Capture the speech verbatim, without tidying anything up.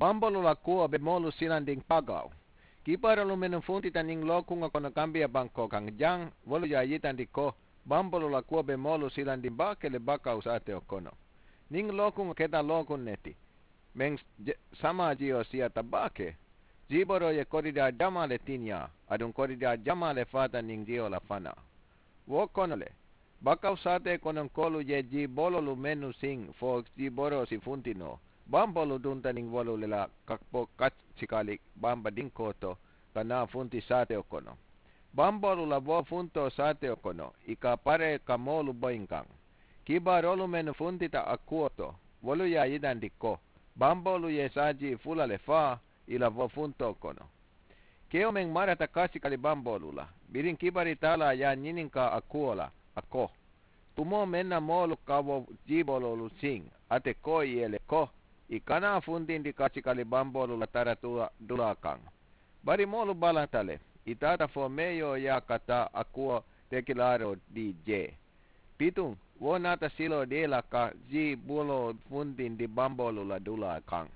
Bamboolu la kuwo be moolu silandiŋ pagaw. Kibaarolu mennu funtita niŋ lookuŋo kono kambiya bankoo kaŋ jaŋ, wolu ye a yitandi ko bamboolu la kuwo be moolu silandiŋ baake le bakaw saatewo kono. Niŋ lookuŋo keta lookuŋ ne ti meŋ samaa jiyo siyata baake, jiiboroo ye koridaa jamaa le tiñaa, aduŋ koridaa jamaa le faata niŋ jiyo la fanaa. Wo kono le, bakaw saatee kono koolu ye jii boloolu mennu siŋ fo jii boroo si funti noo, bamboolu dunta niŋ wolu le la ka bo kasikali bamba dinkoo to ka naa funti saatewo kono. Bamboolu la wo funtoo saatewo kono ì ka paree ka moolu boyi ǹ kaŋ. Kibaaroolu mennu funtita a kuwo to, wolu ye a yitandi ko bamboolu ye saajii fula le faa ì la wo funtoo kono. Kewo meŋ marata kasikali bamboolu la, biriŋ kibari taalaa ye a ñininkaa a kuwo la, a ko, tumoo meŋ na moolu ka wo jiibooloolu siŋ, ate ko ì ye le ko, ì kana a funtindi kasikali bamboolu la tara dulaa kaŋ. Bari moolu balanta le, ì taata fo meeyoo yaa ka taa a kuwo tekilaaroo dii jee. Bituŋ wo naata siloo dee la ka jii buloo funtindi bamboolu la dulaa kaŋ.